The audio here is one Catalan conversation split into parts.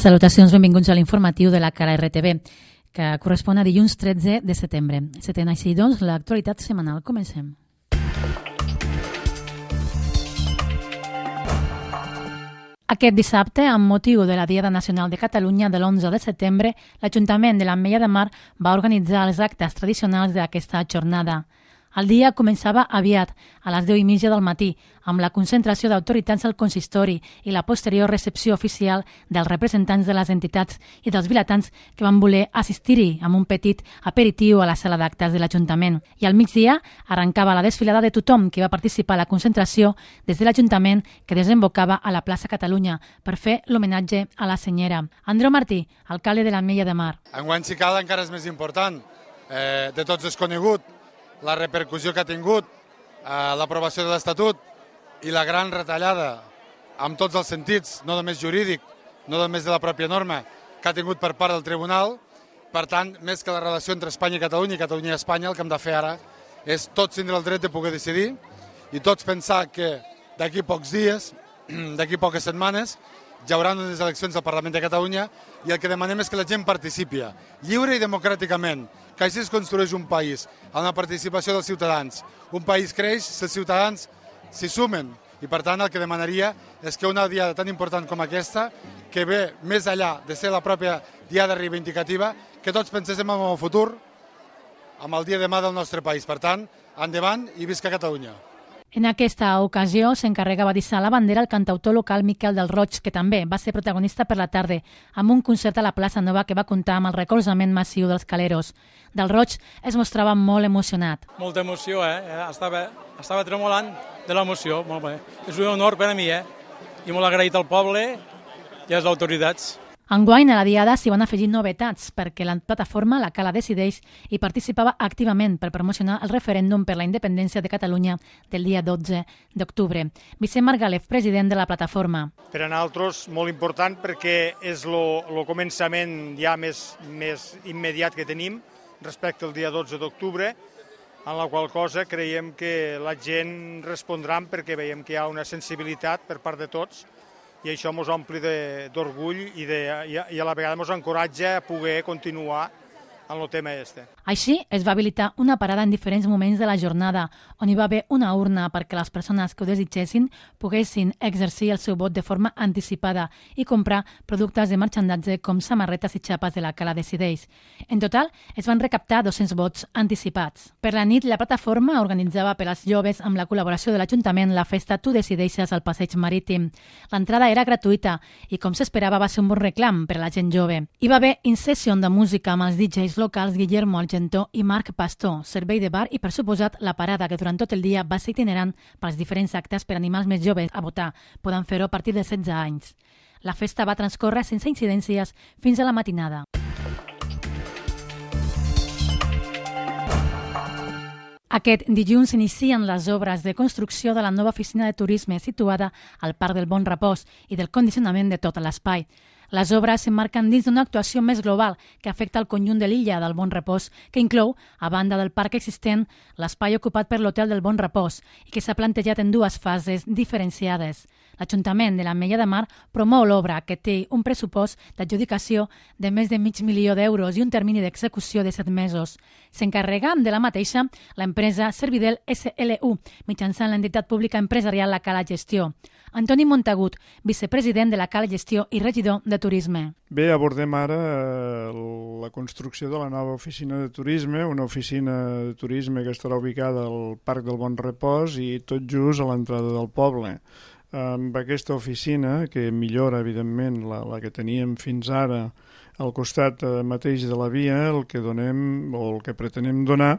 Salutacions, benvinguts a l'informatiu de la Cara RTV, que correspon a dilluns 13 de setembre. Setent així, doncs, l'actualitat setmanal. Comencem. Aquest dissabte, amb motiu de la Diada Nacional de Catalunya de l'11 de setembre, l'Ajuntament de l'Ametlla de Mar va organitzar els actes tradicionals d'aquesta jornada. El dia començava aviat, a les 10:30 del matí, amb la concentració d'autoritats al consistori i la posterior recepció oficial dels representants de les entitats i dels vilatans que van voler assistir-hi amb un petit aperitiu a la sala d'actes de l'Ajuntament. I al migdia arrencava la desfilada de tothom que va participar a la concentració des de l'Ajuntament que desembocava a la plaça Catalunya per fer l'homenatge a la senyera. Andreu Martí, alcalde de l'Ametlla de Mar. Enguany, si cal, encara és més important. De tots és conegut la repercussió que ha tingut l'aprovació de l'Estatut i la gran retallada, amb tots els sentits, no només jurídic, no només de la pròpia norma, que ha tingut per part del Tribunal. Per tant, més que la relació entre Espanya i Catalunya i Espanya, el que hem de fer ara és tots tindre el dret de poder decidir i tots pensar que d'aquí pocs dies, d'aquí poques setmanes, hi haurà unes eleccions al Parlament de Catalunya i el que demanem és que la gent participi lliure i democràticament, que així es construeix un país, amb la participació dels ciutadans. Un país creix si els ciutadans s'hi sumen i, per tant, el que demanaria és que una diada tan important com aquesta, que ve més enllà de ser la pròpia diada reivindicativa, que tots penséssim en el futur, amb el dia de demà del nostre país. Per tant, endavant i visca Catalunya. En aquesta ocasió s'encarregava d'hissar la bandera el cantautor local Miquel del Roig, que també va ser protagonista per la tarda, amb un concert a la plaça Nova que va comptar amb el recolzament massiu dels caleros. Del Roig es mostrava molt emocionat. Molta emoció, Estava tremolant de l'emoció, molt bé. És un honor per a mi, I molt agraït al poble i a les autoritats. Enguany a la Diada s'hi van afegir novetats perquè la plataforma La Cala Decideix hi participava activament per promocionar el referèndum per la independència de Catalunya del dia 12 d'octubre. Vicent Margalef, president de la plataforma. Per a nosaltres molt important perquè és el començament ja més immediat que tenim respecte al dia 12 d'octubre, en la qual cosa creiem que la gent respondrà perquè veiem que hi ha una sensibilitat per part de tots i això ens ompli d'orgull i a la vegada ens encoratja a poder continuar en el tema este. Així es va habilitar una parada en diferents moments de la jornada, on hi va haver una urna perquè les persones que ho desitgessin poguessin exercir el seu vot de forma anticipada i comprar productes de marxandatge com samarretes i xapes de La Cala Decideix. En total, es van recaptar 200 vots anticipats. Per la nit, la plataforma organitzava per als joves amb la col·laboració de l'Ajuntament la festa Tu Decideixes al Passeig Marítim. L'entrada era gratuïta i, com s'esperava, va ser un bon reclam per a la gent jove. Hi va haver in-session de música amb els DJs locals Guillermo Argentó i Marc Pastor, servei de bar i, per suposat, la parada que durant tot el dia va ser itinerant pels diferents actes per animar els més joves a votar. Poden fer-ho a partir de 16 anys. La festa va transcórrer sense incidències fins a la matinada. Aquest dilluns s'inicien les obres de construcció de la nova oficina de turisme situada al Parc del Bon Repòs i del condicionament de tot l'espai. Les obres s'emmarquen dins d'una actuació més global que afecta el conjunt de l'illa del Bon Repòs, que inclou, a banda del parc existent, l'espai ocupat per l'Hotel del Bon Repòs i que s'ha plantejat en dues fases diferenciades. L'Ajuntament de l'Ametlla de Mar promou l'obra, que té un pressupost d'adjudicació de més de $500.000 i un termini d'execució de 7 mesos. S'encarrega de la mateixa l'empresa Servidel SLU, mitjançant l'entitat pública empresarial La Cala Gestió. Antoni Montagut, vicepresident de La Cala Gestió i regidor de Turisme. Bé, abordem ara la construcció de la nova oficina de turisme, una oficina de turisme que estarà ubicada al Parc del Bon Repòs i tot just a l'entrada del poble. Amb aquesta oficina, que millora, evidentment, la que teníem fins ara al costat mateix de la via, el que donem o el que pretenem donar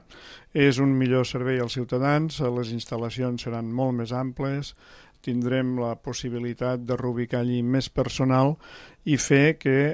és un millor servei als ciutadans, les instal·lacions seran molt més amples, tindrem la possibilitat de reubicar allí més personal i fer que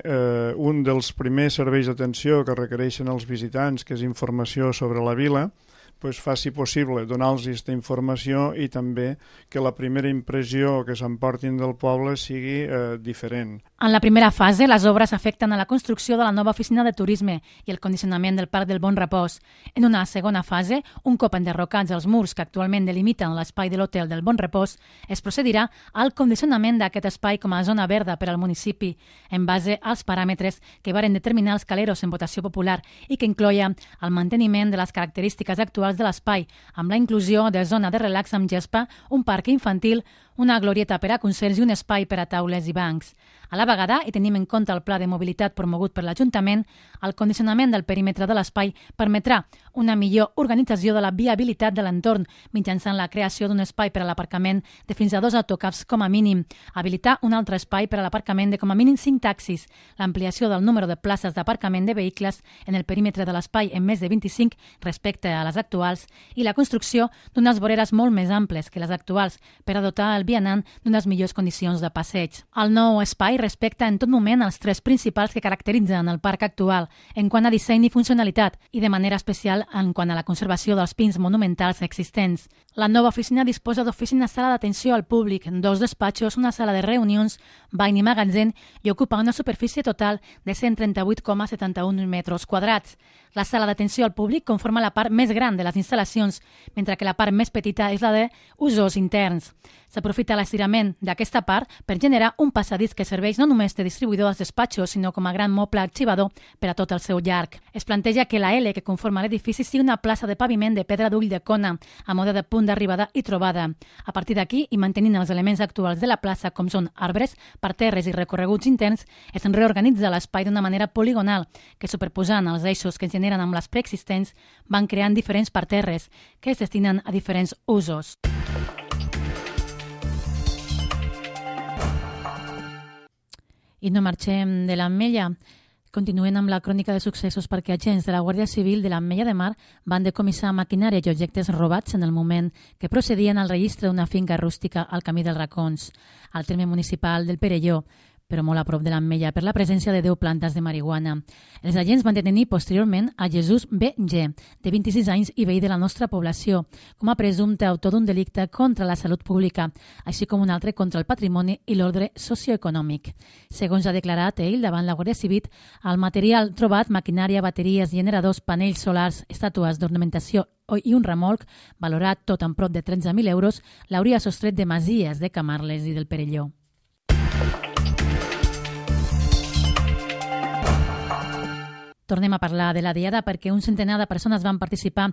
un dels primers serveis d'atenció que requereixen els visitants, que és informació sobre la vila, faci possible donar-los aquesta informació i també que la primera impressió que s'emportin del poble sigui diferent. En la primera fase, les obres afecten a la construcció de la nova oficina de turisme i el condicionament del Parc del Bon Repòs. En una segona fase, un cop enderrocats els murs que actualment delimiten l'espai de l'Hotel del Bon Repòs, es procedirà al condicionament d'aquest espai com a zona verda per al municipi, en base als paràmetres que varen determinar els caleros en votació popular i que incloia el manteniment de les característiques actuals de l'espai, amb la inclusió de zona de relax amb gespa, un parc infantil, una glorieta per a concerts i un espai per a taules i bancs. A la vegada, i tenim en compte el pla de mobilitat promogut per l'Ajuntament, el condicionament del perímetre de l'espai permetrà una millor organització de la viabilitat de l'entorn mitjançant la creació d'un espai per a l'aparcament de fins a 2 autocars com a mínim, habilitar un altre espai per a l'aparcament de com a mínim 5 taxis, l'ampliació del número de places d'aparcament de vehicles en el perímetre de l'espai en més de 25 respecte a les actuals i la construcció d'unes voreres molt més amples que les actuals per a dotar el vianant d'unes millors condicions de passeig. El nou espai respecta en tot moment els 3 principals que caracteritzen el parc actual en quant a disseny i funcionalitat i de manera especial en quant a la conservació dels pins monumentals existents. La nova oficina disposa d'oficina sala d'atenció al públic, 2 despatxos, una sala de reunions, bany i magatzem i ocupa una superfície total de 138,71 metres quadrats. La sala d'atenció al públic conforma la part més gran de les instal·lacions, mentre que la part més petita és la d'usos interns. S'aprofita l'estirament d'aquesta part per generar un passadís que serveix no només de distribuïdor als despatxos, sinó com a gran moble arxivador per a tot el seu llarg. Es planteja que la L que conforma l'edifici sigui una plaça de paviment de pedra d'ull de cona, a mode de punt d'arribada i trobada. A partir d'aquí, i mantenint els elements actuals de la plaça, com són arbres, parterres i recorreguts interns, es reorganitza l'espai d'una manera poligonal, que superposant els eixos que es generen amb les preexistents, van creant diferents parterres que es destinen a diferents usos. I no marxem de l'Ametlla. Continuem amb la crònica de successos perquè agents de la Guàrdia Civil de l'Ametlla de Mar van decomissar maquinària i objectes robats en el moment que procedien al registre d'una finca rústica al Camí dels Racons, al terme municipal del Perelló, però molt a prop de l'Ametlla, per la presència de 10 plantes de marihuana. Els agents van detenir posteriorment a Jesús B.G., de 26 anys i veí de la nostra població, com a presumpte autor d'un delicte contra la salut pública, així com un altre contra el patrimoni i l'ordre socioeconòmic. Segons ha declarat ell davant la Guàrdia Civil, el material trobat, maquinària, bateries, generadors, panells solars, estàtues d'ornamentació i un remolc, valorat tot en prop de 13.000 euros, l'hauria sostret de masies de Camarles i del Perelló. Tornem a parlar de la Diada perquè un centenar de persones van participar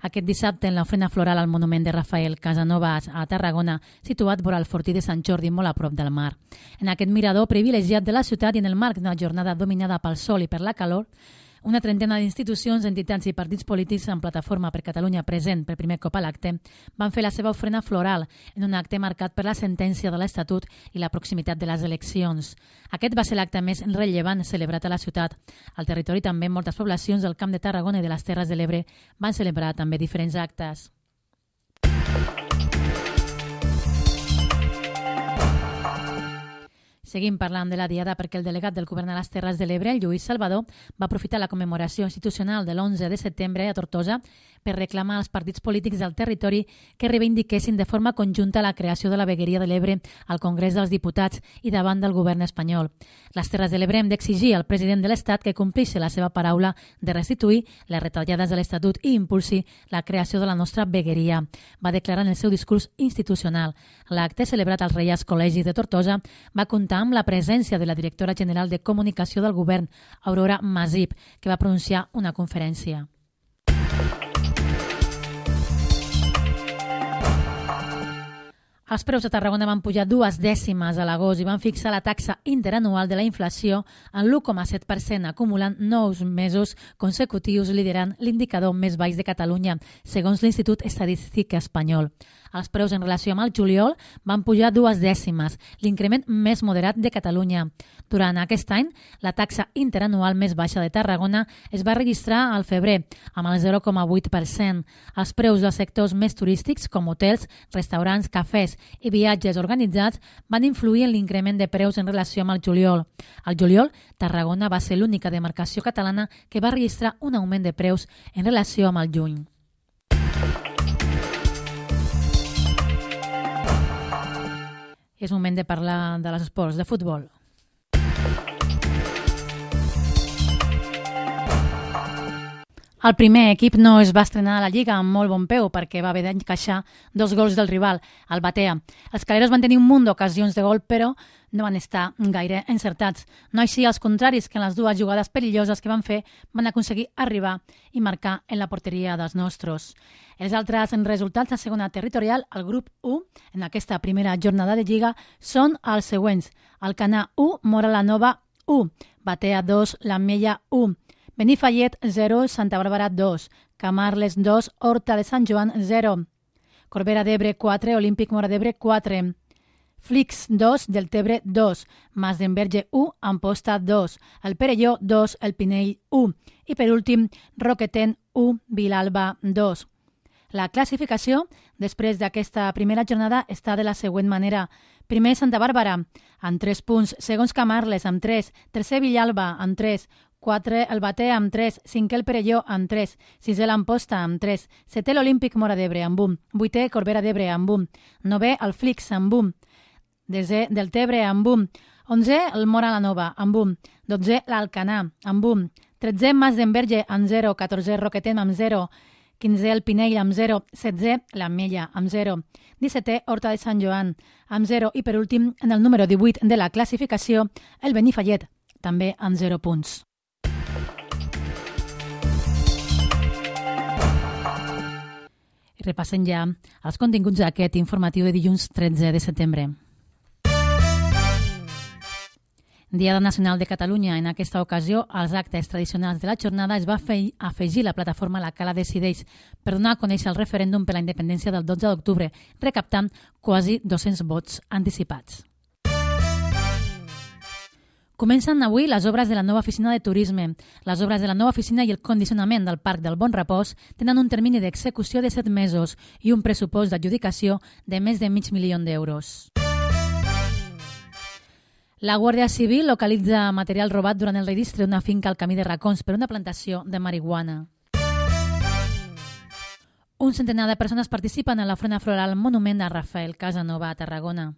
aquest dissabte en l'ofrena floral al monument de Rafael Casanovas a Tarragona, situat vora el Fortí de Sant Jordi, molt a prop del mar. En aquest mirador privilegiat de la ciutat i en el marc d'una jornada dominada pel sol i per la calor, una trentena d'institucions, entitats i partits polítics en Plataforma per Catalunya present per primer cop a l'acte van fer la seva ofrena floral en un acte marcat per la sentència de l'Estatut i la proximitat de les eleccions. Aquest va ser l'acte més rellevant celebrat a la ciutat. Al territori també moltes poblacions del Camp de Tarragona i de les Terres de l'Ebre van celebrar també diferents actes. Seguim parlant de la Diada perquè el delegat del Govern a les Terres de l'Ebre, el Lluís Salvador, va aprofitar la commemoració institucional de l'11 de setembre a Tortosa per reclamar als partits polítics del territori que reivindiquessin de forma conjunta la creació de la vegueria de l'Ebre al Congrés dels Diputats i davant del govern espanyol. Les Terres de l'Ebre hem d'exigir al president de l'Estat que compleixi la seva paraula de restituir les retallades de l'Estatut i impulsi la creació de la nostra vegueria, va declarar en el seu discurs institucional. L'acte, celebrat als Reials Col·legis de Tortosa, va comptar amb la presència de la directora general de Comunicació del Govern, Aurora Masip, que va pronunciar una conferència. Els preus a Tarragona van pujar 2 dècimes a l'agost i van fixar la taxa interanual de la inflació en l'1,7%, acumulant 9 mesos consecutius liderant l'indicador més baix de Catalunya, segons l'Institut Estadístic Espanyol. Els preus en relació amb el juliol van pujar 2 dècimes, l'increment més moderat de Catalunya. Durant aquest any, la taxa interanual més baixa de Tarragona es va registrar al febrer, amb el 0,8%. Els preus dels sectors més turístics, com hotels, restaurants, cafès i viatges organitzats, van influir en l'increment de preus en relació amb el juliol. Al juliol, Tarragona va ser l'única demarcació catalana que va registrar un augment de preus en relació amb el juny. És moment de parlar de les esports, de futbol. El primer equip no es va estrenar a la Lliga amb molt bon peu perquè va haver d'encaixar 2 gols del rival, el Batea. Els caleros van tenir un munt d'ocasions de gol, però no van estar gaire encertats. No així els contraris, que en les 2 jugades perilloses que van fer van aconseguir arribar i marcar en la porteria dels nostres. Els altres resultats a segona territorial, al grup 1, en aquesta primera jornada de Lliga, són els següents. Alcanar 1, Móra la Nova 1, Batea 2, l'Ametlla 1, Benifallet 0, Santa Bàrbara 2, Camarles 2, Horta de Sant Joan 0, Corbera d'Ebre 4, Olímpic Móra d'Ebre 4, Flix 2, Deltebre 2, Mas d'Enverge 1, Amposta 2, el Perelló 2, el Pinell 1 i per últim Roqueten 1, Vilalba 2. La classificació després d'aquesta primera jornada està de la següent manera. Primer Santa Bàrbara amb 3 punts, segons Camarles amb 3, tercer Vilalba amb 3, 4 el Batea amb 3, 5è el Perelló amb 3, 6è l'Amposta amb 3, 7è l'Olímpic Móra d'Ebre amb 1, 8è Corbera d'Ebre amb 1, 9è el Flix amb 1, 10è Deltebre amb 1, 11è el Móra la Nova amb 1, 12è l'Alcanar amb 1, 13è Mas d'Enverge amb 0, 14è Roqueten amb 0, 15è el Pinell amb 0, 16è l'Ametlla amb 0, 17è Horta de Sant Joan amb 0 i per últim, en el número 18 de la classificació, el Benifallet, també amb 0 punts. I repassem ja els continguts d'aquest informatiu de dilluns 13 de setembre. Diada Nacional de Catalunya. En aquesta ocasió, als actes tradicionals de la jornada es va afegir la plataforma La Cala Decideix per donar a conèixer el referèndum per la independència del 12 d'octubre, recaptant quasi 200 vots anticipats. Comencen avui les obres de la nova oficina de turisme. Les obres de la nova oficina i el condicionament del Parc del Bon Repòs tenen un termini d'execució de 7 mesos i un pressupost d'adjudicació de més de $500.000 d'euros. La Guàrdia Civil localitza material robat durant el registre d'una finca al camí de Racons per una plantació de marihuana. Un centenar de persones participen en l'ofrena floral Monument a Rafael Casanova a Tarragona.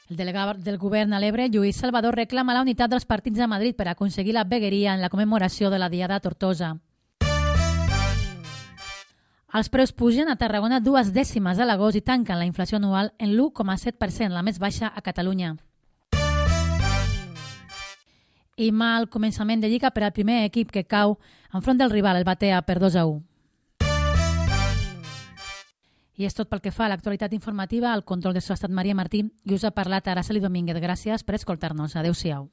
El delegat del govern a l'Ebre, Lluís Salvador, reclama la unitat dels partits a Madrid per aconseguir la vegueria en la commemoració de la Diada a Tortosa. Els preus pugen a Tarragona 2 dècimes a l'agost i tanquen la inflació anual en l'1,7%, la més baixa a Catalunya. I mal començament de Lliga per al primer equip que cau enfront del rival, el Batea, per 2-1. I és tot pel que fa a l'actualitat informativa. Al control de so ha estat Maria Martí i us ha parlat Araceli Domínguez. Gràcies per escoltar-nos. Adéu-siau.